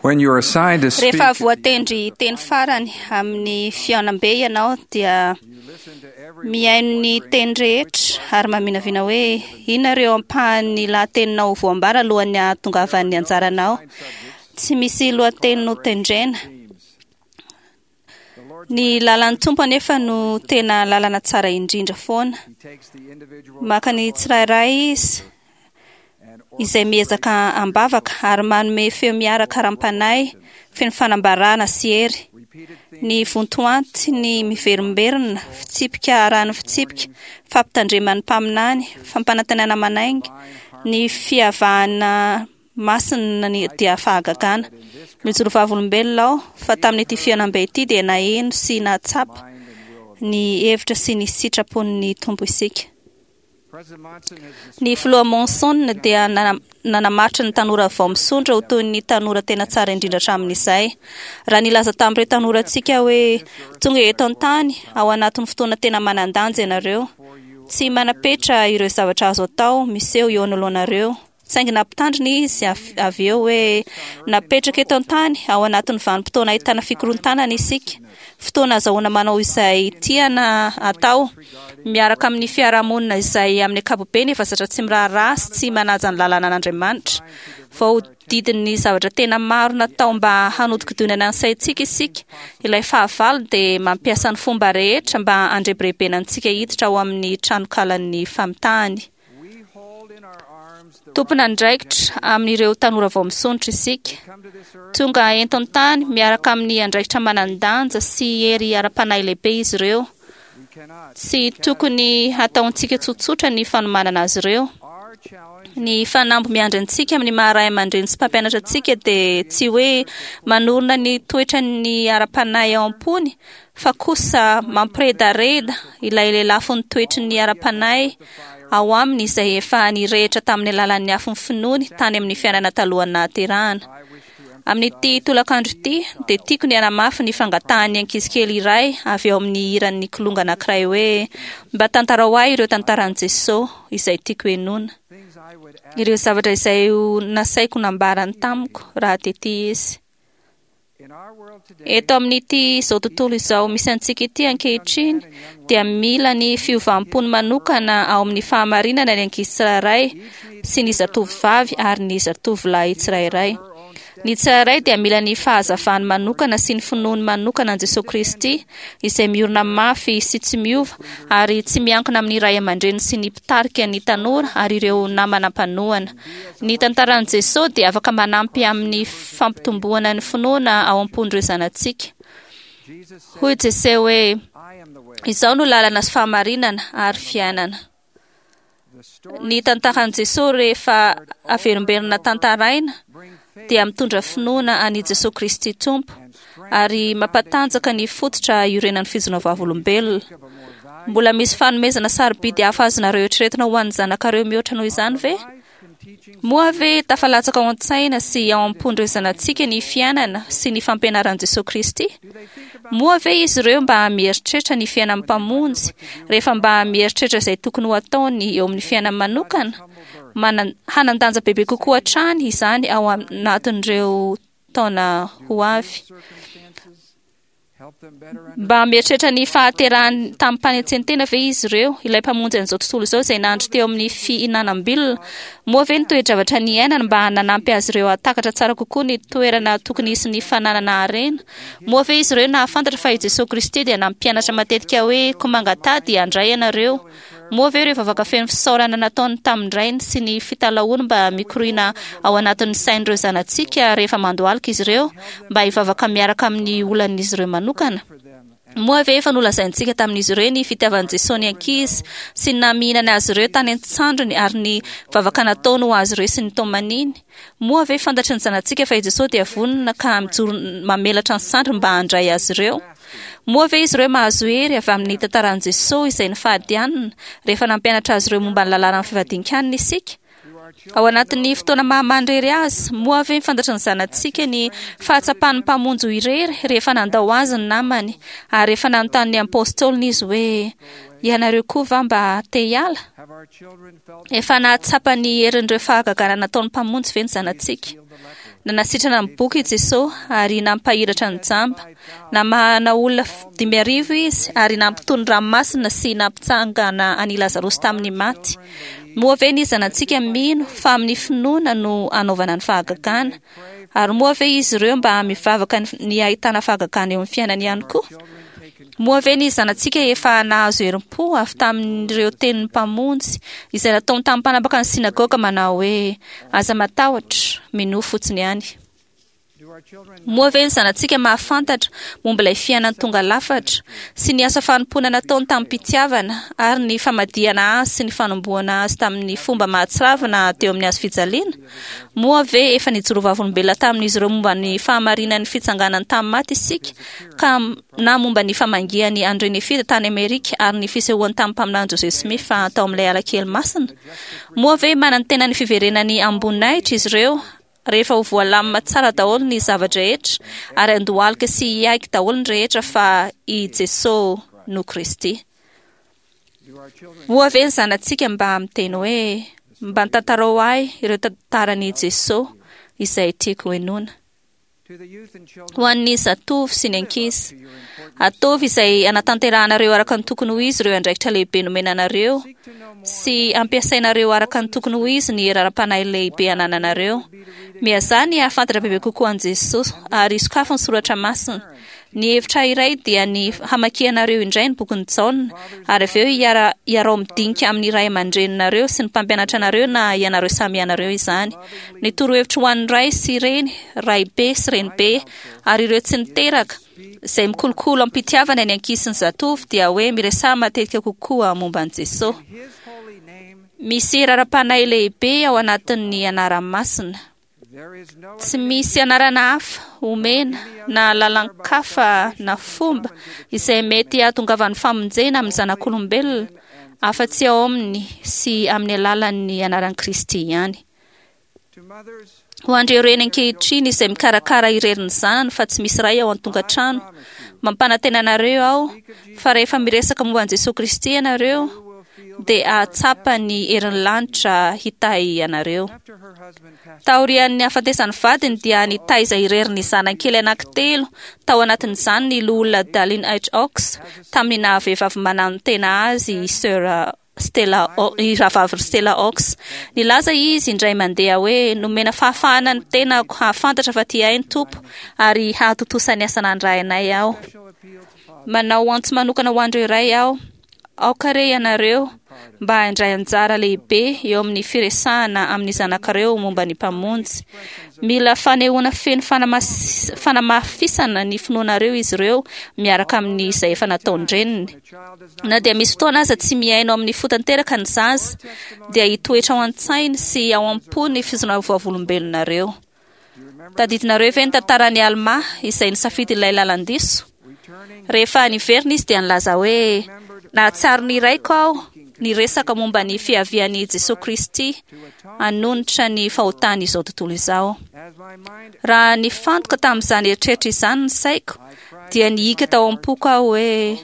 When you are assigned to speak, Rehefa voatendry teny farany amin'ny fihaonambe ianao dia mihaino ny teny rehetra ary maminavina hoe inona ireo ampahan'ny lahateninao voambara alohan'ny hahatongavan'ny anjaranao. Tsy misy lohateny notendrena. Ny lalan'ny Tompo anefa no tena lalana tsara indrindra foana. Maka ny tsirairay izy izay miezaka am-bavaka ary manome feo miaraka ara-panahy feno fanambarana sy hery. Ny vontoanty ny miverimberina, fitsipika arahan'ny fitsipika, fampitandreman'ny mpaminany, fampanantenana manainga, ny fiavahana masina ny dia fahagagana. Mijoro vavolombelona aho fa tamin'ity fihaonambe ity dia naheno sy nahatsapa ny hevitra sy ny sitrapon'ny Tompo isika. Ny filoha Monson dia nanamaritra ny tanora vao misondrotra ho toy ny tanora tena tsara indrindra hatramin'izay. Raha nilaza tamin'ireo tanorantsika hoe tonga eto an-tany ao anatin'ny fotoana tena manan-danja ianareo, tsy manam-petra ireo zavatra azo atao miseho eo anoloanareo. Saingy nampitandrina izy avy eo hoe napetraka eto an-tany ao anatin'ny vanim-potoana ahitana fikorontanana isika, fotoana azahoana manao izay tiana atao, miaraka amin'ny fiarahamonina izay amin'ny ankapobeny efa zatra tsy miraharaha sy tsy manaja ny lalànan'Andriamanitra. Voahodidin'ny zavatra tena maro natao mba hanodikodinana ny saintsika isika. Ilay fahavalo dia mampiasa ny fomba rehetra mba handrebirebena antsika hiditra ao amin'ny tranokalan'ny famitahany. Tompon'andraikitra amin'ireo tanora vao misondrotra isika. Tonga entin'ny tany miaraka amin'ny andraikitra manan-danja sy hery ara-panahy lehibe izy ireo. Tsy tokony hataontsika tsotsotra ny fanomanana azy ireo. Ny fanamby miandry antsika amin'ny maha ray aman-dreny sy mpampianatra antsika dia tsy hoe manorina ny toetran'ny ara-panahy ao am-pony fa kosa mampiredareda ilay lelafon'ny toetry ny ara-panahy ao aminy izay efa nirehitra tamin'ny alalan'ny afon'ny finoany tany amin'ny fiainana talohan'ny nahaterahana. Amin'ity tolakandro ity dia tiako ny hanamafy ny fangatahan'ny ankizy kely iray avy ao amin'ny hiran'ny kilonga anankiray hoe mba tantarao ahy ireo tantaran'i Jesosy izay tiako henoina. Ireo zavatra izay ho nasaiko nambarany tamiko raha tety izy. Eto amin'ity izao tontolo izao misy antsika ity ankehitriny dia mila ny fiovam-pony manokana ao amin'ny fahamarinana ny ankizy tsirairay sy ny zatovovavy ary ny zatovolahy tsirairay. Ny tsirairay dia mila ny fahazavany manokana sy ny finoany manokana an'i Jesoa Kristy izay miorina mafy sy tsy miova ary tsy miankina amin'ny ray aman-dreny sy ny mpitarika ny tanora ary ireo namana mpanohana. Ny tantaran'i Jesoa dia afaka manampy amin'ny fampitomboana ny finoana ao am-pon'ireo zanatsika. Hoy Jesoa hoe, Izaho no lalana sy fahamarinana ary fiainana. Ny tantaran'i Jesoa rehefa averimberina tantaraina dia mitondra finoana an'i Jesoa Kristy Tompo ary mampatanjaka ny fototra iorenan'ny fijoroana vavolombelona. Mbola misy fanomezana sarobidy hafa azonareo eritreretina ho an'ny zanakareo mihoatra noho izany ve? Moa ve tafalatsaka ao an-tsaina sy ao am-pon'ireo zanatsika ny fiainana sy ny fampianaran'i Jesoa Kristy? Moa ve izy ireo mba mieritreritra ny fiainan'ny Mpamonjy rehefa mba mieritreritra izay tokony ho ataony eo amin'ny fiainany manokana? Manan- hanan-danja bebe kokoa hatrany izany ao anatin'ireo taona ho avy. Mba mieritreritra ny fahaterahany tamim-panetsen-tena ve izy ireo, ilay Mpamonjy an'izao tontolo izao izay nandry teo amin'ny fihinanam-bilona? Moa ve ny toe-javatra niainany mba nanampy azy ireo hahatakatra tsara kokoa ny toerana tokony hisy ny fananana harena? Moa ve izy ireo nahafantatra fa i Jesoa Kristy dia nampianatra matetika hoe, Koa mangataha dia handray ianareo? Moa ve ireo vavaka feno fisaorana nataony tamin-dRainy sy ny fitalahoany mba mikoriana ao anatin'ny sain'ireo zanatsika rehefa mandohalika izy ireo mba hivavaka miaraka amin'ny olan'izy ireo manokana? Moa ve efa nolazaintsika tamin'izy ireo ny fitiavan'i Jesoa ny ankizy sy ny namihinany azy ireo tany an-tsandriny ary ny vavaka nataony ho azy ireo sy ny tomaniny? Moa ve fantatry ny zanatsika fa i Jesoa dia vonona ka mijoro mamelatra ny sandriny mba handray azy ireo? Moa ve izy ireo mahazo hery avy amin'ny tantaran'i Jesoa izay nifady hanina rehefa nampianatra azy ireo momba ny lalànan'ny fivadian-kanina isika? Ao anatin'ny fotoana maha-manirery azy, moa ve fantatry ny zanatsika ny fahatsapan'ny Mpamonjy ho irery rehefa nandao azy ny namany ary rehefa nanontany ny Apôstôliny izy hoe, Ianareo koa va mba te hiala? Efa nahatsapa ny herin'ireo fahagagana nataon'ny Mpamonjy ve ny zanatsika? Nanasitrana ny boka i Jesosy ary nampahiratra ny jamba. Namahana olona 5000 izy ary nampitony ranomasina sy nampitsangana an'i Lazarosy tamin'ny maty. Moa ve ny zanatsika mino fa amin'ny finoana no anaovana ny fahagagana? Ary moa ve izy ireo mba mivavaka ny hahitana fahagagana eo amin'ny fiainany ihany koa? Moa ve ny zanatsika efa nahazo herim-po avy tamin'ireo tenin'ny Mpamonjy izay nataony tamin'ny mpanapaka ny synagoga manao hoe, Aza matahotra, minoa fotsiny ihany? Moa ve ny zanatsika mahafantatra momba ilay fiainany tonga lafatra sy ny asa fanompoana nataony tamim-pitiavana ary ny famadihana azy sy ny fanombohana azy tamin'ny fomba mahatsiravina teo amin'ny hazo fijaliana? Moa ve efa nijoro vavolombelona tamin'izy ireo momba ny fahamarinan'ny fitsanganany tamin'ny maty isika ka na momba ny famangiany an'i Renefida tany Amerika ary ny fisehoany tamin'ny mpaminany Joseph Smith tao amin'ilay ala kely masina? Moa ve manantena ny fiverenany amim-boninahitra izy ireo rehefa ho voalamina tsara daholo ny zava-drehetra ary handohalika sy hiaiky daholo ny rehetra fa i Jesosy no Kristy? Moa ve ny zanatsika mba miteny hoe, Mba tantarao ahy ireo tantaran'i Jesosy izay tiako henoina? Ho an'ny zatovo sy ny ankizy, ataovy izay hanatanterahanareo araka ny tokony ho izy ireo andraikitra lehibe nomena anareo sy ampiasainareo araka ny tokony ho izy ny hery ara-panahy lehibe anananareo. Miazaha ny hahafantatra bebe kokoa an'i Jesosy ary sokafy ny soratra masina. Ny hevitra iray dia ny hamakianareo indray ny bokin'i Jaona, ary avy eo hiara, hiarao midinika amin'ny ray aman-dreninareo sy ny mpampianatra anareo na ianareo samy ianareo izany. Ny torohevitro ho an'ny ray sy reny, raibe sy renibe, ary ireo tsy niteraka, izay mikolokolo am-pitiavana ny ankizy sy ny zatovo, dia hoe miresaha matetika kokoa momba an'i Jesosy. Misy hery ara-panahy lehibe ao anatin'ny anarany masina. Tsy misy anarana hafa omena na lalan-kafa na fomba izay mety hahatongavan'ny famonjena amin'ny zanak'olombelona afa-tsy ao aminy sy amin'ny alalan'ny anaran'i Kristy ihany. Ho an'ireo reny ankehitriny izay mikarakara irery ny zanany fa tsy misy ray ao an-tokantrano, mampanantena anareo aho fa rehefa miresaka momba an'i Jesoa Kristy ianareo dia hahatsapa ny herin'ny lanitra hitahy anareo. Taorian'ny hahafatesan'ny vadiny dia nitaiza irery ny zanany kely anankitelo, tao anatin'izany ny Loholona Dallin H. Oaks, tamin'ny naha-vehivavy mananotena azy i Sir Stella, i Rahavavy Stella Oaks. Nilaza izy indray mandeha hoe, Nomena fahafahana ny tenako hahafantatra fa tia ahy ny Tompo ary hahatontosa ny asa nandrainay aho. Manao antso manokana ho an'ireo ray aho. Aoka re ianareo mba handray anjara lehibe eo amin'ny firesahana amin'ny zanakareo momba ny Mpamonjy. Mila fanehoana feno fanamafisana ny finoanareo izy ireo miaraka amin'izay efa nataon-dreniny. Na dia misy fotoana aza tsy mihaino amin'ny fo tanteraka ny zaza, dia hitoetra ao an-tsainy sy ao am-pony ny fijoroana vavolombelonareo. Tadidinareo ve ny tantaran'i Almà izay nisafidy ilay lalan-diso? Rehefa niverina izy dia nilaza hoe, Nahatsiaro ny raiko aho niresaka momba ny fiavian'i Jesoa Kristy hanonitra ny fahotan'izao tontolo izao. Raha nifantoka tamin'izany eritreritra izany ny saiko, dia nihiaka tao am-poko aho hoe,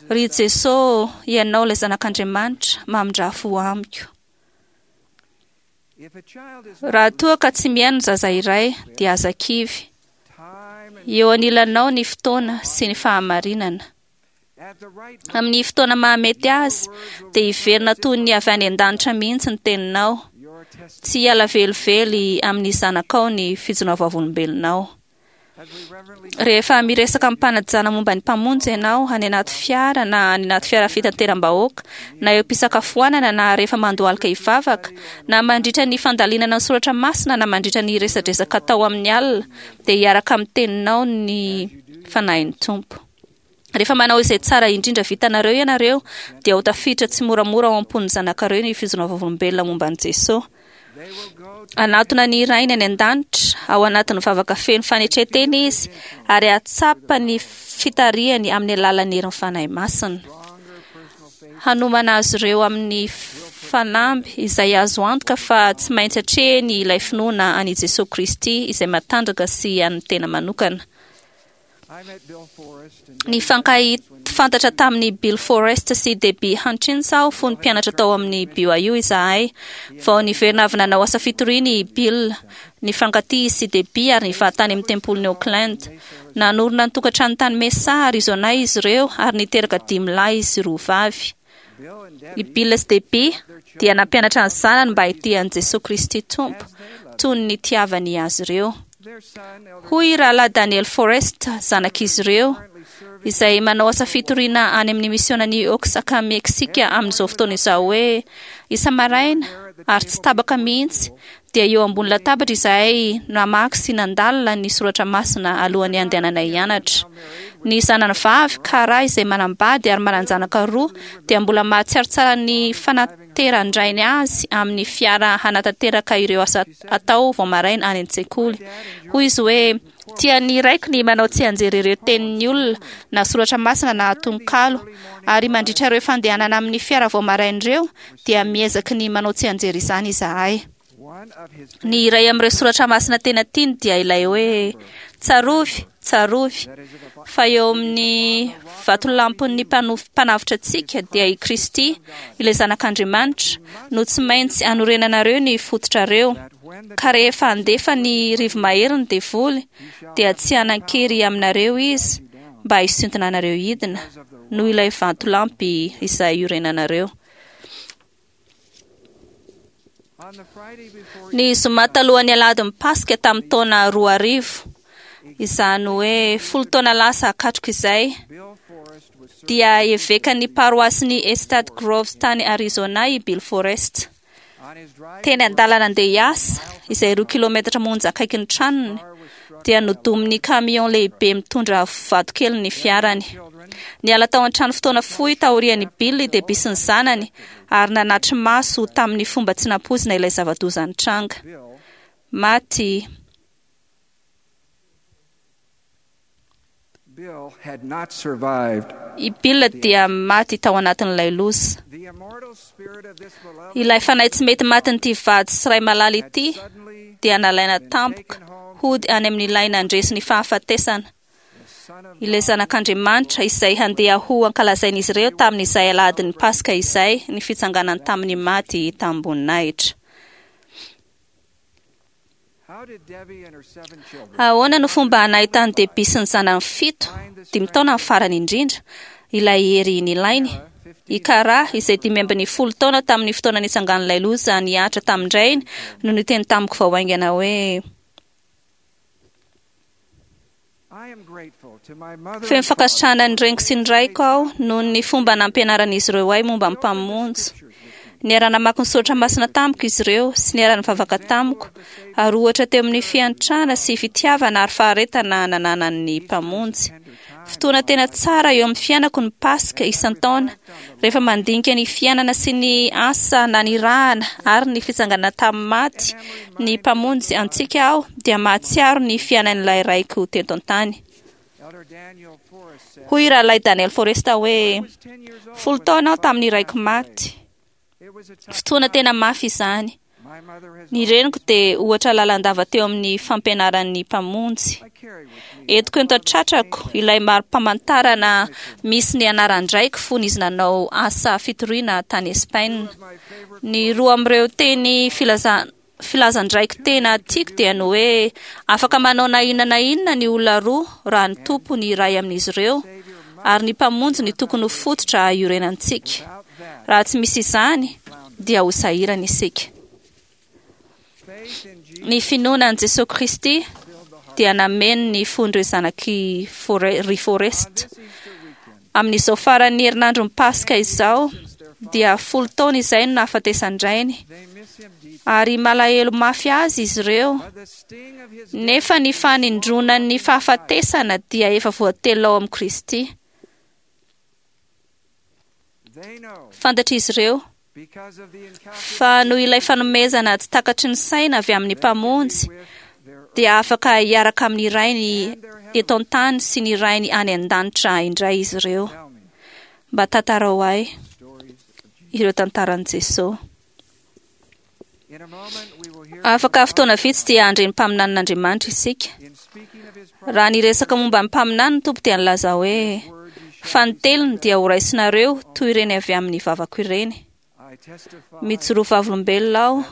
Ry Jesoa, Ianao ilay Zanak'Andriamanitra, mamindrà fo amiko. Raha toa ka tsy mihaino ny zaza iray, dia aza kivy. Eo anilanao ny fotoana sy ny fahamarinana. Amin'ny fotoana mahamety azy, dia hiverina toy ny avy any an-danitra mihitsy ny teninao. Tsy hiala velively amin'ny zanakao ny fijoroana vavolombelonao. Rehefa miresaka amim-panajana momba ny Mpamonjy ianao any anaty fiara na any anaty fiara fitateram-bahoaka, na eo am-pisakafoanana na rehefa mandohalika hivavaka, na mandritra ny fandalinana ny soratra masina na mandritra ny resadresaka atao amin'ny alina, dia hiaraka amin'ny teninao ny Fanahin'ny Tompo. Rehefa manao izay tsara indrindra vitanareo ianareo, dia ho tafiditra tsimoramora ao am-pon'ny zanakareo ny fijoroana vavolombelona momba an'i Jesosy. Hanatona ny Rainy any an-danitra ao anatin'ny vavaka feno fanetren-tena izy, ary hahatsapa ny fitarihany amin'ny alalan'ny herin'ny Fanahy Masina. Hanomana azy ireo amin'ny fanamby izay azo antoka fa tsy maintsy atrehiny ilay finoana an'i Jesosy Kristy izay matanjaka sy an'ny tena manokana. Nifankahafantatra tamin'i Bill Forrest sy Debbie Hutchins aho fony mpianatra tao amin'ny BYU izahay. Vao niverina avy nanao asa fitoriana i Bill. Nifankatia izy sy Debbie ary nivady tany amin'ny tempolin'i Oakland. Nanorina ny tokantrano tany Mesa, Arizona izy ireo ary niteraka dimy lahy sy roa vavy. I Bill sy Debbie dia nampianatra ny zanany mba hitia an'i Jesoa Kristy Tompo toy ny nitiavany azy ireo. Hoy Rahalahy Daniel Forrest, zanak'izy ireo, izay manao asa fitoriana any amin'ny misionan'i Oaxaca, Meksika amin'izao fotoana izao hoe isa-maraina ary tsy tapaka mihitsy dia eo ambony latabatra izahay namaky sy nandalina ny soratra masina alohan'ny handehananay hianatra. Ny zanany vavy, Kara, izay manambady ary manan-janaka roa, dia mbola mahatsiaro tsara ny fanateran-drainy azy amin'ny fiara hanatanteraka ireo asa atao vao maraina any an-tsekoly. Hoy izy hoe, Tian'ny raiko ny manao tsianjery ireo tenin'ny olona, na soratra masina na tononkalo. Ary mandritra ireo fandehanana amin'ny fiara vao maraina ireo, dia miezaky ny manao tsianjery izany izahay. Ny iray amin'ireo soratra masina tena tiany dia ilay hoe, Tsarovy, tsarovy, fa eo amin'ny vatolampin'ny mpanavotra antsika, dia i Kristy, ilay Zanak'Andriamanitra, no tsy maintsy anorenanareo ny fototrareo. Ka rehefa handefa ny rivo-mahery ny devoly, dia tsy hanan-kery aminareo izy mba hisintona anareo hidina, noho ilay vatolampy izay iorenanareo. Ny zoma talohan'ny alahadin'ny Paska tamin'ny taona 2000, izany hoe folo taona lasa katroka izay, dia evekan'ny paroasin'i Estate Groves tany Arizona i Bill Forrest. Teny an-dalana andeha hiasa, izay 2 kilometatra monja akaikin'ny tranony, dia nodomin'ny camion lehibe mitondra vatokely ny fiarany. Niala tao an-trano fotoana fohy taorian'i Bill i Debbie sy ny zanany ary nanatri-maso tamin'ny fomba tsy nampoizina ilay zava-doza nitranga. Maty Bill had not survived. I Bill dia maty tao anatin'ilay loza. The immortal spirit of this beloved Ilay fanahy tsy mety matin'ity vady sy ray malala ity suddenly dia nalaina tampoka hody any amin'ilay nandresy ny fahafatesana. the Son of Ilay zanak'Andriamanitra izay handeha ho ankalazain'izy ireo tamin'izay alahadin'ny Paska izay ny fitsanganany tamin'ny maty tamim-boninahitra. How did Debbie and her seven children Ahoana no fomba nahitan'i Debbie sy ny zanany fito, dimy taona ny farany indrindra, ilay hery nilainy? I Kara, izay 15 taona tamin'ny fotoana nitsangan'ilay loza nihatra tamin-drainy, no niteny tamiko vao haingana hoe I am grateful to my mother feno and father fankasitrahana ny reniko sy ny raiko aho noho ny fomba nampianaran'izy ireo ahy momba ny Mpamonjy. Niara-namaky ny soratra masina tamiko izy ireo sy niara-nivavaka tamiko, ary ohatra teo amin'ny fiantrana sy fitiavana ary faharetana nananan'ny Mpamonjy. Fotoana tena tsara eo amin'ny fiainako ny Paska isan-taona, rehefa mandinika ny fiainana sy ny asa nanirahana ary ny fitsanganana tamin'ny maty ny Mpamonjy antsika aho, dia mahatsiaro ny fiainan'ilay raiko teto an-tany. Elder Daniel Forrest said, Hoy Rahalahy Daniel Forrest hoe, I was 10 years old folo when taona my aho tamin'ny father raiko passed away. maty. It was a tough Fotoana time. tena mafy izany. My mother has Ny reniko dia ohatra lalandava teo amin'ny fampianaran'ny Mpamonjy. I carry with me Entiko eto an-tratrako ilay mari-pamantarana misy ny anaran-draiko fony izy nanao asa fitoriana tany Espaina. my favorite Ny roa amin'ireo teny filazan-draiko tena tiako dia ny hoe afaka manao na inona na inona ny olona roa raha ny Tompo ny iray amin'izy ireo, ary ny Mpamonjy ny tokony ho fototra iorenantsika. without that Raha tsy misy izany dia ho sahirana isika. faith in Jesus Ny finoana an'i Jesoa Kristy filled the heart. dia nameno ny fon'ireo zanaky ry Forrest. This Easter weekend, Amin'izao faran'ny herinandron'ny Paska izao dia 10 taona izay no nahafatesan-drainy, they miss him deeply. ary malahelo mafy azy izy ireo. But the sting of his Nefa ny fanindronan'ny fahafatesana dia efa voatelina ao amin'i Kristy. they know Fantatr'izy ireo because of the incalculable fa noho ilay fanomezana tsy takatry ny saina avy amin'ny Mpamonjy with their dia afaka hiaraka amin'ny rainy eto an-tany sy ny rainy any an-danitra indray izy ireo. tell me Mba tantarao ahy stories of Jesus. ireo tantaran'i Jesoa. Afaka fotoana vitsy dia handre ny mpaminanin'Andriamanitra isika. Raha niresaka momba ny mpaminany ny Tompo dia nilaza hoe: "Fa ny telony dia horaisinareo toy ireny avy amin'ny vavako ireny." Mijoro vavolombelona aho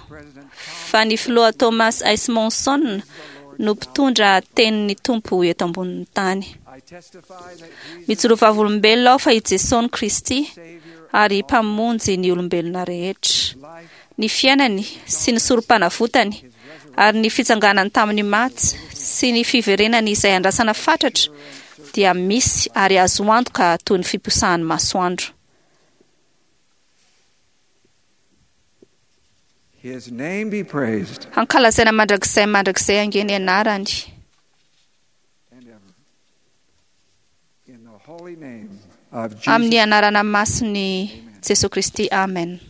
fa ny filoha Thomas S. Monson no mpitondra tenin'ny Tompo eto ambonin'ny tany. Mijoro vavolombelona aho fa i Jesosy Kristy ary mpamonjy ny olombelona rehetra. Ny fiainany sy ny sorom-panavotany ary ny fitsanganany tamin'ny maty sy ny fiverenany izay andrasana fatratra dia misy ary azo antoka toy ny fiposahan'ny masoandro. His name be praised Hankalazaina mandrakizay mandrakizay ange ny anarany. and ever. In the holy name of Amin'ny Jesus. anarana masin'i Jesosy Kristy. Amen.